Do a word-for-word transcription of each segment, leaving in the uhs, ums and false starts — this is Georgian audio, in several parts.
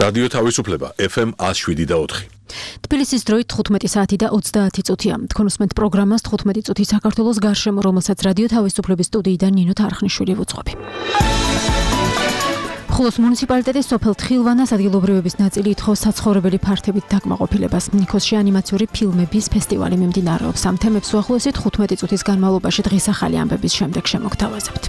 რადიო თავისუფლება ეფ ემ one oh seven და four. თბილისის დროით თხუთმეტი საათი და ოცდაათი წუთია. თქვენ უსმენთ პროგრამას თხუთმეტი წუთი საქართველოს გარშემო, რომელსაც რადიო თავისუფლების სტუდიიდან ნინო თარხნიშვილი ვუძღვები. ხულოს მუნიციპალიტეტის სოფელ თხილვანას ადგილობრივების ნაწილი ითხოვს საცხოვრებელი ფართებით დაკმაყოფილებას. ნიქოსში ანიმაციური ფილმების ფესტივალი მიმდინარეობს. ამ თემებს უახლოესი თხუთმეტი წუთის განმავლობაში დღის ახალი ამბების შემდეგ შემოგთავაზებთ.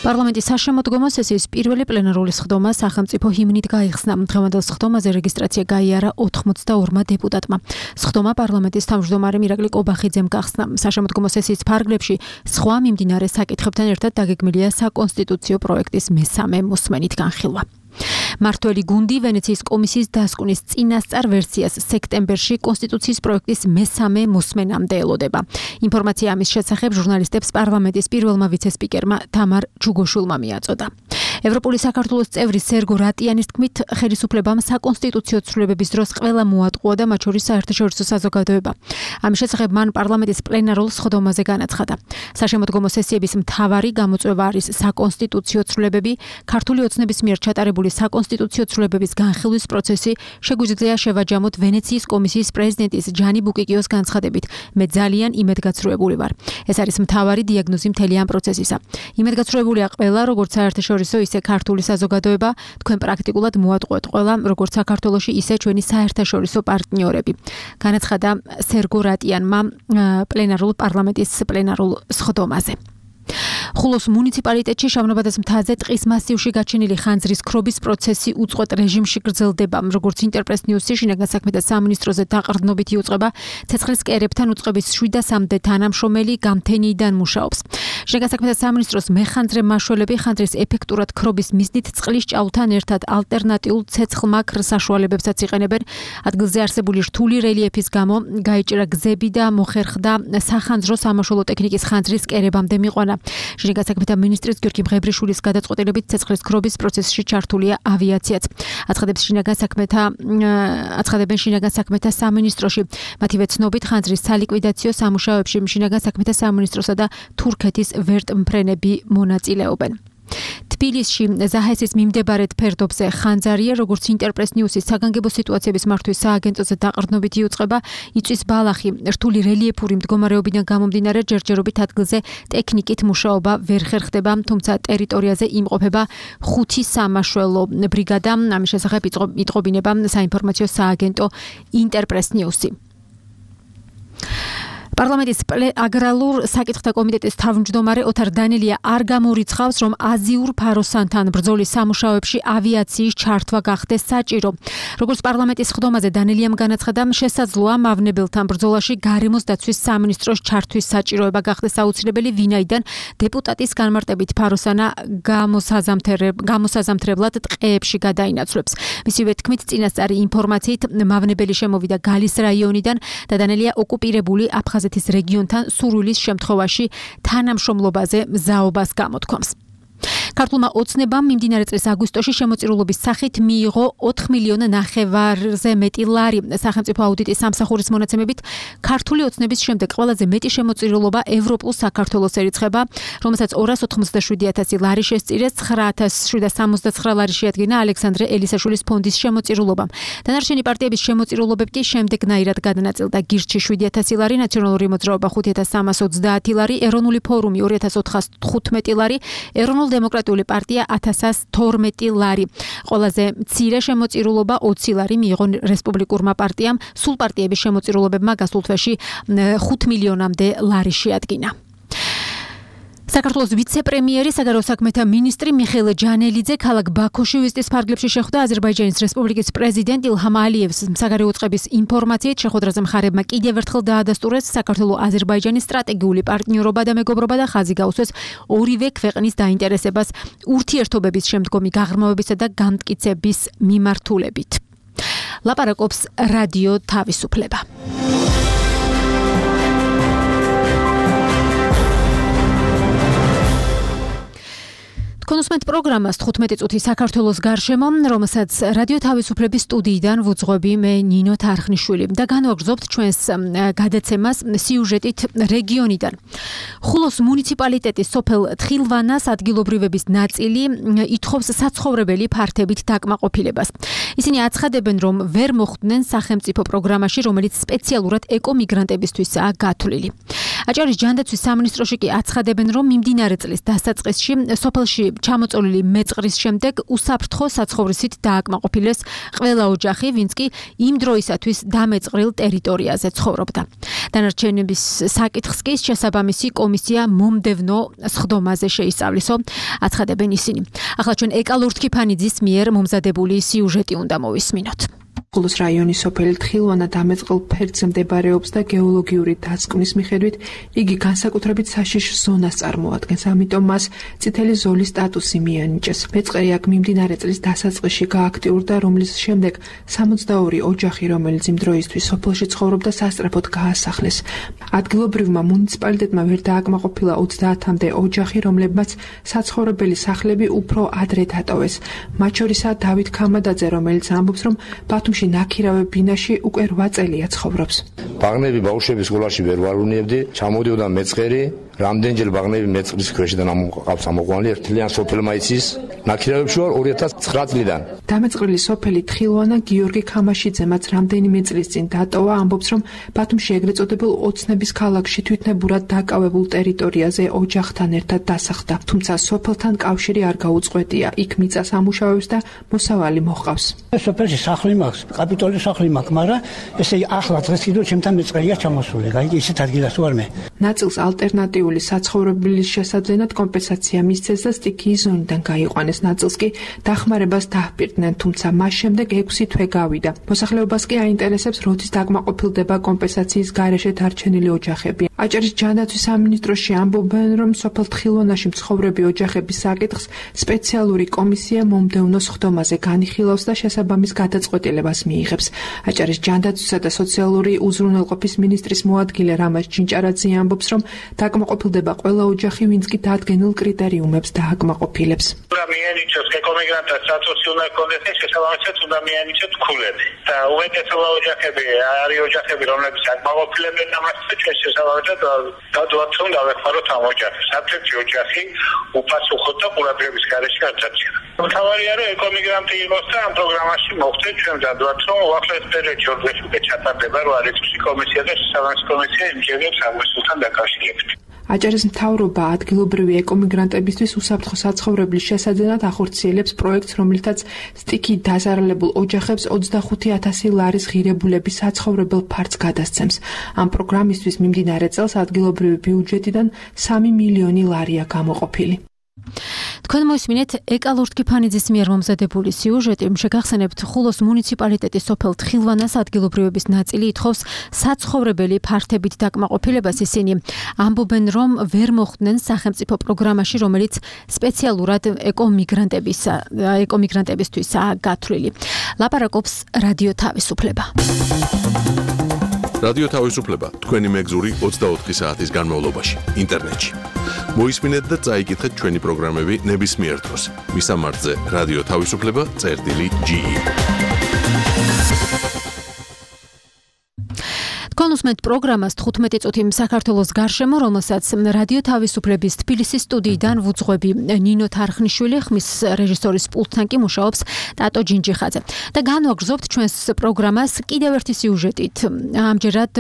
პარლამენტის საშემოდგომო სესიის პირველი პლენარული სხდომა სახელმწიფო ჰიმნით გაიხსნა. დღევანდელ სხდომაზე რეგისტრაცია გაიარა ოცდაორმა დეპუტატმა. სხდომა პარლამენტის თავმჯდომარე მირაკლი კობახიძემ გახსნა. საშემოდგომო სესიის ფარგლებში სხვა მიმდინარე საკითხებთან ერთად დაგეგმილია საკონსტიტუციო პროექტის მესამე მოსმენით განხილვა. მართველი გუნდი ვენეციის კომისიის დასკვნის წინასწარ ვერსიას სექტემბერში კონსტიტუციის პროექტის მესამე მოსმენამდე ელოდება. ინფორმაცია ამის შესახებ ჟურნალისტებს პარლამენტის პირველმა ვიცე-სპიკერმა თამარ ჯუგოშვილმა მიაწოდა. ევროპული საქართველოს წევრი სერგო რატიანის თქმით, ხელისუფლებამ საკონსტიტუციო ცვლილებების დროს ყველა მოატყუა და მათ შორის საერთაშორისო საზოგადოება. ამის შესახებ მან პარლამენტის პლენარულ სხდომაზე განაცხადა. საშემოდგომო სესიების მთავარი გამოწვევა არის საკონსტიტუციო ცვლილებები, ქართული ოცნების მიერ ჩატარებული საკონსტიტუციო ცვლილებების განხილვის პროცესი. შეგვიძლია შევაჯამოთ ვენეციის კომისიის პრეზიდენტის ჯანი ბუკიკიოს განცხადებით. მე ძალიან იმედგაცრუებული ვარ. ეს არის მთავარი დიაგნოზი მთელი ამ პროცესისა. იმედგაცრუებულია ყველა, როგორც საერთაშორისო ისე ქართული საზოგადოება, თქვენ პრაქტიკულად მოატყუეთ ყველა, როგორც საქართველოში, ისე ჩვენი საერთაშორისო პარტნიორები. განაცხადა სერგო რატიანმა პლენარულ პარლამენტის პლენარულ სხდომაზე. ხულოს მუნიციპალიტეტში შავნაბადეს მთაზე ტყის მასივში გაჩენილი ხანძრის ქრობის პროცესი უწყვეტ რეჟიმში გრძელდება. როგორც ინტერპრეს ნიუსი შინაგან საქმეთა სამინისტროზე დაყრდნობით იუწყება, ცეცხლის კერებთან უწყების შვიდასამდე თანამშრომელი გამთენიიდან მუშაობს. შინაგან საქმეთა სამინისტროს მეხანძრე მაშველები ხანძრის ეფექტურად ქრობის მიზნით წყლის ჭაუთან ერთად ალტერნატიულ ცეცხლმაქრ საშუალებებსაც იყენებენ. ადგილზე არსებული რთული რელიეფის გამო გაიჭრა გზები და მოხერხდა სახანძრო სამაშველო ტექნიკის ხანძრის კერებამდე მიყვანა. შინაგან საქმეთა მინისტრის გიორგი მღებრიშვილის გადაწყვეტილებით ცეცხლის ქრობის პროცესში ჩართულია ავიაციაც. აცხადებს შინაგან საქმეთა აცხადებენ შინაგან საქმეთა სამინისტროში. მათივე ცნობით ხანძრის სალიკვიდაციო სამუშაოებში შინაგან საქმეთა სამინისტროსა და თურქეთის ვერტმფრენები მონაწილეობენ. თბილისში ზაჰესის მიმდებარედ ფერდობზე ხანძარია, როგორც ინტერპრეს ნიუსის საგანგებო სიტუაციების მართვის სააგენტოზე დაყრდნობით იუწყება, იწვის ბალახი. რთული რელიეფური მდგომარეობიდან გამომდინარე ჯერჯერობით ადგილზე ტექნიკით მუშაობა ვერ ხერხდება, თუმცა ტერიტორიაზე იმყოფება ხუთი სამაშველო ბრიგადა. ამის შესახებ იტყობინება საინფორმაციო სააგენტო ინტერპრეს ნიუსი. პარლამენტის აგრარულ საკითხთა კომიტეტის თავმჯდომარე ოთარ დანელია არ გამორიცხავს, რომ აზიურ ფაროსანთან ბრძოლის სამუშაოებში ავიაციის ჩართვა გახდეს საჭირო. როგორც პარლამენტის სხდომაზე დანელიამ განაცხადა, შესაძლოა მავნებელთან ბრძოლაში გარემოს დაცვის სამინისტროს ჩართვის საჭიროება გახდეს აუცილებელი, ვინაიდან დეპუტატის განმარტებით ფაროსანა გამოსაზამთრებლად ტყეებში გადაინაცვლებს. მისივე თქმით, წინასწარი ინფორმაციით მავნებელი შემოვიდა გალის რაიონიდან და დანელია ოკუპირებული აფხაზეთის რეგიონთან სურვილის შემთხვევაში თანამშრომლობაზე მზაობას გამოთქვამს. ქართულმა ოცნებამ მიმდინარე წლის აგვისტოში შემოწირულობის სახით მიიღო ოთხ მილიონ ნახევარზე მეტი ლარი. სახელმწიფო აუდიტის სამსახურის მონაცემებით ქართული ოცნების შემდეგ ყველაზე მეტი შემოწირულობა ევროპულ საქართველოს ერიცხება, რომელსაც ორას ოთხმოცდაშვიდი ათასი ლარი შესწირეს, ცხრა ათას შვიდას სამოცდაცხრა ლარი შეადგინა ალექსანდრე ელისაშვილის ფონდის შემოწირულობამ. დანარჩენი პარტიების შემოწირულობები კი შემდეგნაირად გადანაწილდა: გირჩი შვიდი ათასი ლარი, ნაციონალური მოძრაობა ხუთი ათას სამას ოცდაათი ლარი, ეროვნული ფორუმი ორი ათას ოთხას თხუთმეტი ლარი, ეროვნულ დემოკრატიული პარტია ათასას თორმეტი ლარი. ყველაზე მცირე შემოწირულობა ოცი ლარი მიიღო რესპუბლიკურმა პარტიამ, სულ პარტიების შემოწირულობებმა გასულ თვეში ხუთ მილიონამდე ლარი შეადგინა. საქართველოს ვიცე-პრემიერი, საგარეო საქმეთა მინისტრი მიხეილ ჯანელიძე ქალაქ ბაქოში ვიზიტის ფარგლებში შეხვდა აზერბაიჯანის რესპუბლიკის პრეზიდენტ ილჰამ ალიევს. საგარეო წყების ინფორმაციით შეხვედრაზე მხარეებმა კიდევ ერთხელ დაადასტურეს საქართველო-აზერბაიჯანის სტრატეგიული პარტნიორობა და მეგობრობა და ხაზი გაუსვეს ორივე ქვეყნის დაინტერესებას ურთიერთობების შემდგომი გაღრმავებისა და განმტკიცების მიმართულებით. ლაპარაკობს რადიო თავისუფლება. თქვენ უსმენთ პროგრამას თხუთმეტი წუთი საქართველოს გარშემო, რომელსაც რადიო თავისუფლების სტუდიიდან ვუძღვები მე ნინო თარხნიშვილი და განვაგრძობთ ჩვენს გადაცემას სიუჟეტით რეგიონიდან. ხულოს მუნიციპალიტეტის სოფელ თხილვანას ადგილობრივების ნაწილი ითხოვს საცხოვრებელი ფართებით დაკმაყოფილებას. ისინი აცხადებენ, რომ ვერ მოხვდნენ სახელმწიფო პროგრამაში, რომელიც სპეციალურად ეკომიგრანტებისთვისაა გათვლილი. აჭარის ჯანდაცვის სამინისტროში კი აცხადებენ, რომ მიმდინარე წლის დასაწყისში სოფელში ჩამოწოლილი მეწყრის შემდეგ უსაფრთხო საცხოვრისით დააკმაყოფილეს ყველა ოჯახი, ვინც კი იმ დროისათვის დამეწყრილ ტერიტორიაზე ცხოვრობდა. დანარჩენების საკითხს კი შესაბამისი კომისია მომდევნო სხდომაზე შეისწავლისო, აცხადებენ ისინი. ახლა ჩვენ ეკა ლურთქიფანიძის მიერ მომზადებული სიუჟეტი უნდა მოვისმინოთ. ხულოს რაიონის სოფელი თხილვანა დამეწყრილ ფერდზე მდებარეობს და გეოლოგიური დაცკნის მიხედვით იგი განსაკუთრებით საშიშ ზონას წარმოადგენს, ამიტომ მას წითელი ზოლის სტატუსი მიანიჭეს. მეწყერი აქ მიმდინარე წლის დასაწყისში გააქტიურდა, რომლის შემდეგ სამოცდაორი ოჯახი, რომელიც იმ დროისთვის სოფელში ცხოვრობდა, სასწრაფოდ გაასახლეს. ადგილობრივმა მუნიციპალიტეტმა ვერ დააკმაყოფილა ოცდაათამდე ოჯახი, რომლებმაც საცხოვრებელი სახლები უფრო ადრე დატოვეს. მათ შორისაა დავით ქამადაძე, რომელიც ამბობს, რომ ბათუმში ნაქირავე ბინაში უკვე რვა წელია ცხოვრობს. ბაღნები ბავშვების სკოლაში ვერ ვარუნებდი, ჩამოდიოდა მეწყერი, რამდენჯერ ბაღნები მეწყრის ქვეშიდან ამოყავს ამოყვანილი, ერთლიან სოფელმა იცის. ნაქირავებში ვარ ორი ათას ცხრა წლიდან. დამეწყრილი სოფელი თხილვანა გიორგი ქამაშიძე, მათ რამდენიმე წლის წინ დატოვა, ამბობს, რომ ბათუმში ეგრეთ წოდებულ ოცნების ქალაქში თვითნებურად დაკავებულ ტერიტორიაზე ოჯახთან ერთად დასახლდა. თუმცა სოფელთან კავშირი არ გაუწყვეტია. იქ მიწას ამუშავებს და მოსავალი მოჰყავს. სოფელში სახლი მაქვს, კაპიტოლის სახლი მაქვს, მაგრამ ესე ახლა დღეს კიდევ ჩემთან მეწყერია ჩამოსული. გაიგე, ისეთ ადგილას ვარ მე. ნაწილს ალტერნატიული საცხოვრებლის შესაძლებლად კომპენსაცია მისცეს და სტიქიის ზონიდან გაიყვანეს. ნაწილს კი დახმარებას დაჰპირდნენ, თუმცა მას შემდეგ ექვსი თვე გავიდა. მოსახლეობას კი აინტერესებს, როდის დაკმაყოფილდება კომპენსაციის გარეშე დარჩენილი ოჯახები. აჭარის ჯანდაცვის სამინისტროში ამბობენ, რომ სოფელ თხილვანაში მცხოვრები ოჯახების საკითხს სპეციალური კომისია მომდევნო სხდომაზე განიხილავს და შესაბამის გადაწყვეტილებას მიიღებს. აჭარის ჯანდაცვისა და სოციალური უზრუნველყოფის მინისტრის მოადგილე რამაზ ჩინჭარაძე ამბობს, რომ დაკმაყოფილდება ყველა ოჯახი, ვინც კი დადგენილ კრიტერიუმებს დააკმაყოფილებს. უნდა მიენიჭოს ეკომიგრანტთა სტატუსი უნდა ჰქონდეს და შესაბამისად უნდა მიენიჭოს ქულები. და უმეტესობა ოჯახები არის ოჯახები, რომლებიც აკმაყოფილებენ ამას და ჩვენ შესაბამისად გადავთ რომ დავეხმაროთ ამ ოჯახებს. საფრთხე ოჯახი უფასუხოთ და ყურადღების გარეშე არ დარჩება. მთავარია რომ ეკომიგრანტი იყოს და ამ პროგრამაში მოხდეს, ჩვენ დავთ რომ უახლოეს პერიოდში ორდეში უკვე ჩატარდება რომ არის კომისია და შესაბამის კომისია იმჯერებს აღმოსულთან დაკავშირებით. აჭარის მთავრობა ადგილობრივი ეკომიგრანტებისთვის უსაფრთხო საცხოვრებლის შესაძლებლად ახორციელებს პროექტს, რომლითაც სტიქით დაზარალებულ ოჯახებს ოცდახუთი ათასი ლარის ღირებულების საცხოვრებელ ფართს გადასცემს. ამ პროგრამისთვის მიმდინარე წელს ადგილობრივი ბიუჯეტიდან სამი მილიონი ლარია გამოყოფილი. თქვენ მოისმინეთ ეკა ლურთქიფანიძის მიერ მომზადებული სიუჟეტი. შეგახსენებთ, ხულოს მუნიციპალიტეტის სოფელ თხილვანას ადგილობრივების ნაწილი ითხოვს საცხოვრებელი ფართებით დაკმაყოფილებას. ისინი ამბობენ, რომ ვერ მოხვდნენ სახელმწიფო პროგრამაში, რომელიც სპეციალურად ეკომიგრანტების ეკომიგრანტებისთვისაა გათვლილი. ლაპარაკობს რადიო თავისუფლება. რადიო თავისუფლება თქვენი მეგზური ოცდაოთხი საათის განმავლობაში ინტერნეტში. მოისმინეთ და წაიკითხეთ ჩვენი პროგრამები ნებისმიერ დროს. მისამართზე რადიო თავისუფლება წერტილი ჯი ი. თქვენ უსმენთ პროგრამას თხუთმეტი წუთი საქართველოს გარშემო, რომელსაც რადიო თავისუფლების თბილისის სტუდიიდან ვუძღვები ნინო თარხნიშვილი, ხმის რეჟისორის პულტთან კი მუშაობს ტატო ჯინჯიხაძე. და განვაგრძობთ ჩვენს პროგრამას კიდევ ერთი სიუჟეტით. ამჯერად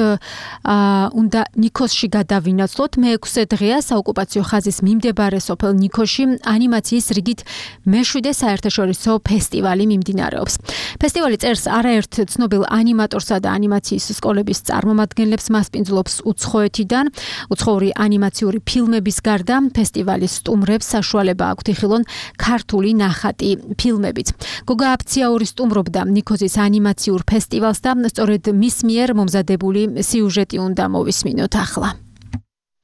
უნდა ნიქოსში გადავინაცვლოთ. მეექვსე დღეა საოკუპაციო ხაზის მიმდებარე სოფელ ნიქოში ანიმაციის რიგით მეშვიდე საერთაშორისო ფესტივალი მიმდინარეობს. ფესტივალი წერს არაერთ ცნობილ ანიმატორსა და ანიმაციის სკოლების წარმომადგენლებს მასპინძლობს უცხოეთიდან. უცხოური ანიმაციური ფილმების გარდა ფესტივალის სტუმრებს საშუალება აქვთ იხილონ ქართული ნახატი ფილმებიც. გოგა აფციაური სტუმრობდა ნიქოზის ანიმაციურ ფესტივალს და სწორედ მის მიერ მომზადებული სიუჟეტი უნდა მოვისმინოთ ახლა.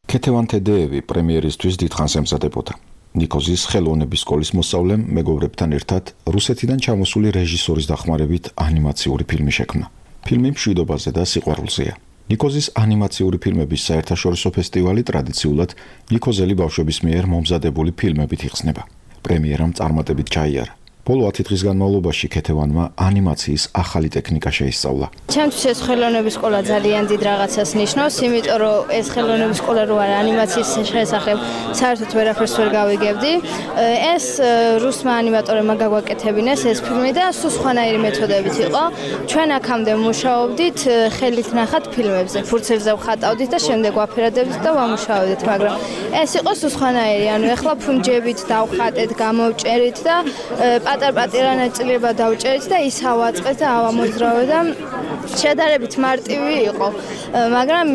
ქეთევან თედეევი პრემიერისთვის დიდხანს ემზადებოდა. ნიქოზის ხელოვნების სკოლის მოსწავლემ მეგობრებთან ერთად რუსეთიდან ჩამოსული რეჟისორის დახმარებით ანიმაციური ფილმი შექმნა. ფილმი მშვიდობაზე და სიყვარულზეა. ნიქოზის ანიმაციური ფილმების საერთაშორისო ფესტივალი ტრადიციულად ნიქოზელი ბავშვების მიერ მომზადებული ფილმებით იხსნება. პრემიერამ წარმატებით ჩაიარა. ბოლო ათი დღის განმავლობაში ქეთევანმა ანიმაციის ახალი ტექნიკა შეისწავლა. ჩემთვის ეს ხელოვნების სკოლა ძალიან დიდ რაღაცას ნიშნავს, იმიტომ რომ ეს ხელოვნების სკოლა რო არა ანიმაციის შესახებ საერთოდ ვერაფერს ვერ გავიგებდი. ეს რუსმა ანიმატორებმა გაგვაკეთებინეს ეს ფილმი და სულ სხვანაირი მეთოდებით იყო. ჩვენ აქამდე მუშაობდით ხელით ნახat ფილმებზე, ფურცელზე ვხატავდით და შემდეგ ვაფერადებდით და ვამუშავებდით, მაგრამ ეს იყო სულ სხვანაირი. ანუ ეხლა ფუნჯებით დავხატეთ, გამოვჭერით და პატარ-პატარა ნაწილება დავჭერით და ის ავაწყეთ და ავამოძრავეთ და შედარებით მარტივი იყო. მაგრამ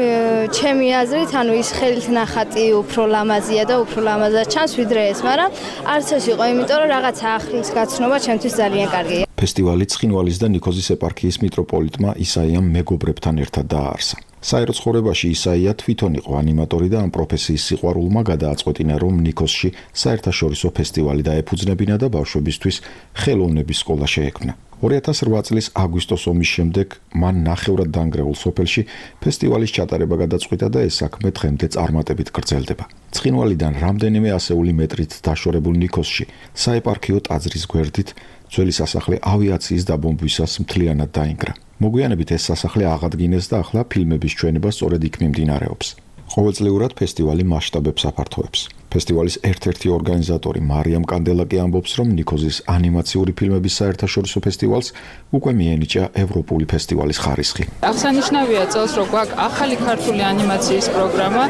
ჩემი აზრით, ანუ ის ხელით ნახატი უფრო ლამაზია და უფრო ლამაზად ჩანს ვიდრე ეს, მაგრამ არც ეს იყო, იმიტომ რომ რაღაცა ახლის გაცნობა ჩემთვის ძალიან კარგია. ფესტივალი ცხინვალის და ნიქოზის ეპარქიის მიტროპოლიტმა ისაიამ მეგობრებთან ერთად დააარსა. საერო ცხოვრებაში ისაია თვითონ იყო ანიმატორი და ამ პროფესიის სიყვარულმა გადააწყვეტინა, რომ ნიქოზში საერთაშორისო ფესტივალი დაეფუძნებინა და ბავშვებისთვის ხელოვნების სკოლა შეექმნა. ორი ათას რვა წლის აგვისტოს ომის შემდეგ მან ნახევრად დანგრეულ სოფელში ფესტივალის ჩატარება გადაწყვიტა და ეს საქმე დღემდე წარმატებით გრძელდება. ცხინვალიდან რამდენიმე ასეული მეტრით დაშორებულ ნიქოზში საეპარქიო ტაძრის გვერდით ძველი სასახლე ავიაციის დაბომბვისას მთლიანად დაინგრა. მოგვიანებით ეს სასახლე აღადგინეს და ახლა ფილმების ჩვენება სწორედ იქ მიმდინარეობს. ყოველწლიურად ფესტივალი მასშტაბებს აფართოებს. ფესტივალის ერთ-ერთი ორგანიზატორი მარიამ კანდელაკი ამბობს, რომ ნიქოზის ანიმაციური ფილმების საერთაშორისო ფესტივალს უკვე მიენიჭა ევროპული ფესტივალის ხარისხი. აღსანიშნავია წელს, რომ გვაქვს ახალი ქართული ანიმაციის პროგრამა,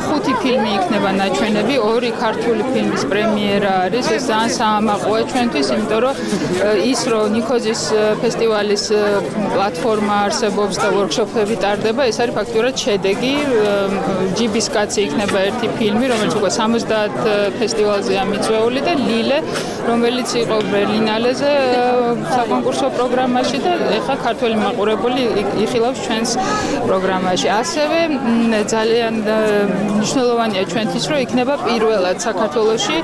ხუთი ფილმი იქნება ნაჩვენები, ორი ქართული ფილმის პრემიერა არის. ეს ძალიან საამაყოა ჩვენთვის, იმიტომ რომ ის რომ ნიქოზის ფესტივალის პლატფორმა არსებობს და ვორქშოპები ტარდება, ეს არის ფაქტურად შედეგი. ჯიბის კაცი იქნება ერთი ფილმი, რომელიც უკვე სამოცდაათ ფესტივალზეა მიწვეული და ლილე, რომელიც იყო ბერლინალეზე საკონკურსო პროგრამაში და ეხლა ქართველი მაყურებელი იხილავს ჩვენს პროგრამაში. ასევე ძალიან მნიშვნელოვანია ჩვენთვის, რომ იქნება პირველად საქართველოში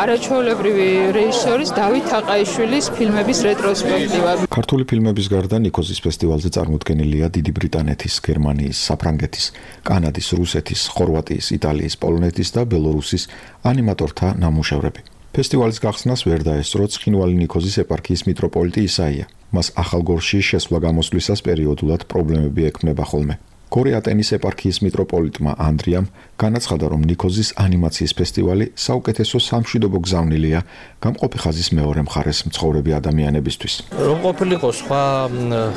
არაჩვეულებრივი რეჟისორის დავით აყაიშვილის ფილმების რეტროსპექტივა. ქართული ფილმების გარდა ნიქოზის ფესტივალზე წარმოდგენილია დიდი ბრიტანეთის, გერმანიის, საფრანგეთის, კანადის, რუსეთის, ხორვატიის, იტალიის, პოლონეთის და ბელორუსის ანიმატორთა ნამუშევრები. ფესტივალის გახსნას ვერ დაესწრო ცხინვალი ნიქოზის ეპარქიის მიტროპოლიტი ისაია. მას ახალგორში შესვლა გამოსვლისას პერიოდულად პრობლემები ექმნება ხოლმე. გორე-ატენის ეპარქიის მიტროპოლიტმა ანდრიამ განაცხადა, რომ ნიქოზის ანიმაციის ფესტივალი საუკეთესო სამშვიდობო გზავნილია გამყოფი ხაზის მეორე მხარეს მცხოვრები ადამიანებისთვის. რომ ყოფილიყო სხვა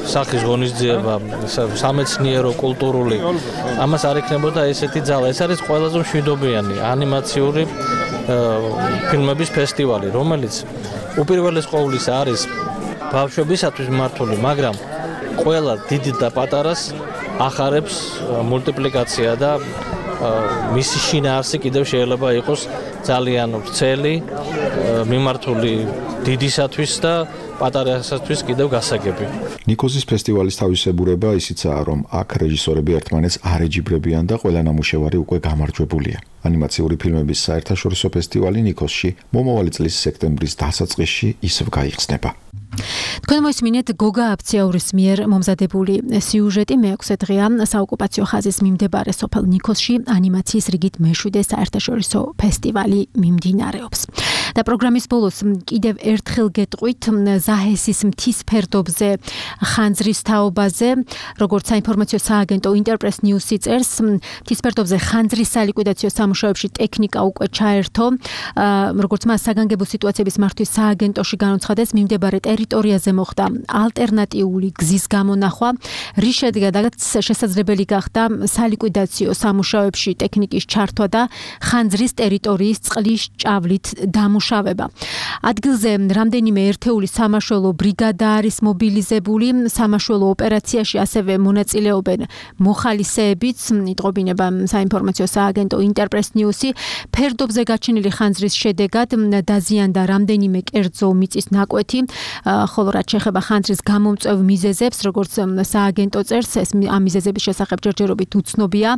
სახის ღონისძიება, სამეცნიერო, კულტურული, ამას არ იქნებოდა ესეთი ძალა. ეს არის ყველაზე მშვიდობიანი ანიმაციური ფილმების ფესტივალი, რომელიც უპირველეს ყოვლისა არის ბავშვებისათვის მართული, მაგრამ ყველა დიდი და პატარას ახარებს მულტიპლიკაცია და მისი შინაარსი კიდევ შეიძლება იყოს ძალიან ვრცელი, მიმართული დიდისათვის და პატარასათვის კიდევ გასაგები. ნიქოზის ფესტივალის თავისებურება ისიცაა, რომ აქ რეჟისორები ერთმანეთს არ ეჯიბრებიან და ყველა ნამუშევარი უკვე გამარჯვებულია. ანიმაციური ფილმების საერთაშორისო ფესტივალი ნიქოზში მომავალი წლის სექტემბრის დასაწყისში ისევ გაიხსნება. თქვენ მოისმინეთ გოგა აფციაურის მიერ მომზადებული სიუჟეტი მეექვსე დღეა საოკუპაციო ხაზის მიმდებარე სოფელ ნიქოზში ანიმაციის რიგით მეშვიდე საერთაშორისო ფესტივალი მიმდინარეობს. და პროგრამის ბოლოს კიდევ ერთხელ გეტყვით ზაჰესის მთის ფერდობზე ხანძრის თაობაზე, როგორც საინფორმაციო სააგენტო ინტერპრეს ნიუსი წერს, მთის ფერდობზე ხანძრის სალიკვიდაციო სამუშაოებში ტექნიკა უკვე ჩაერთო, როგორც მას საგანგებო სიტუაციების მართვის სააგენტოში განუცხადეს, მიმდებარე ტერიტორიაზე მოხდა ალტერნატიული გზის გამონახვა, რის შედეგადაც შესაძლებელი გახდა სალიკვიდაციო სამუშაოებში ტექნიკის ჩართვა და ხანძრის ტერიტორიის წყლის ჭავლით დამუშავება. ადგილზე რამდენიმე ერთეული სამაშველო ბრიგადა არის მობილიზებული, სამაშველო ოპერაციაში ასევე მონაწილეობენ მოხალისეებიც, იტყობინება საინფორმაციო სააგენტო ინტერპრეს ნიუსი. ფერდობზე გაჩენილი ხანძრის შედეგად დაზიანდა რამდენიმე კერძო მიწის ნაკვეთი, ხოლო რაც შეეხება ხანძრის გამომწვევ მიზეზებს, როგორც სააგენტო წერს, ეს ამ მიზეზების შესახებ ჯერჯერობით უცნობია.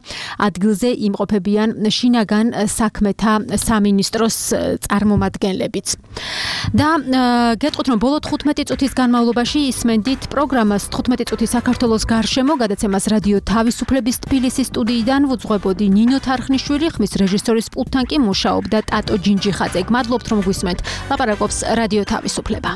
ადგილზე იმყოფებიან შინაგან საქმეთა სამინისტროს წარმომადგენლებიც. და გეტყვით, რომ ბოლო თხუთმეტი წუთის განმავლობაში ისმენდით პროგრამას თხუთმეტი წუთი საქართველოს გარშემო, გადაცემას რადიო თავისუფლების თბილისის სტუდიიდან ვუძღვებოდი ნინო თარხნიშვილი, ხმის რეჟისორის პულტთან კი მუშაობდა ტატო ჯინჯიხაძე. გმადლობთ, რომ გვისმენთ. ლაპარაკობს რადიო თავისუფლება.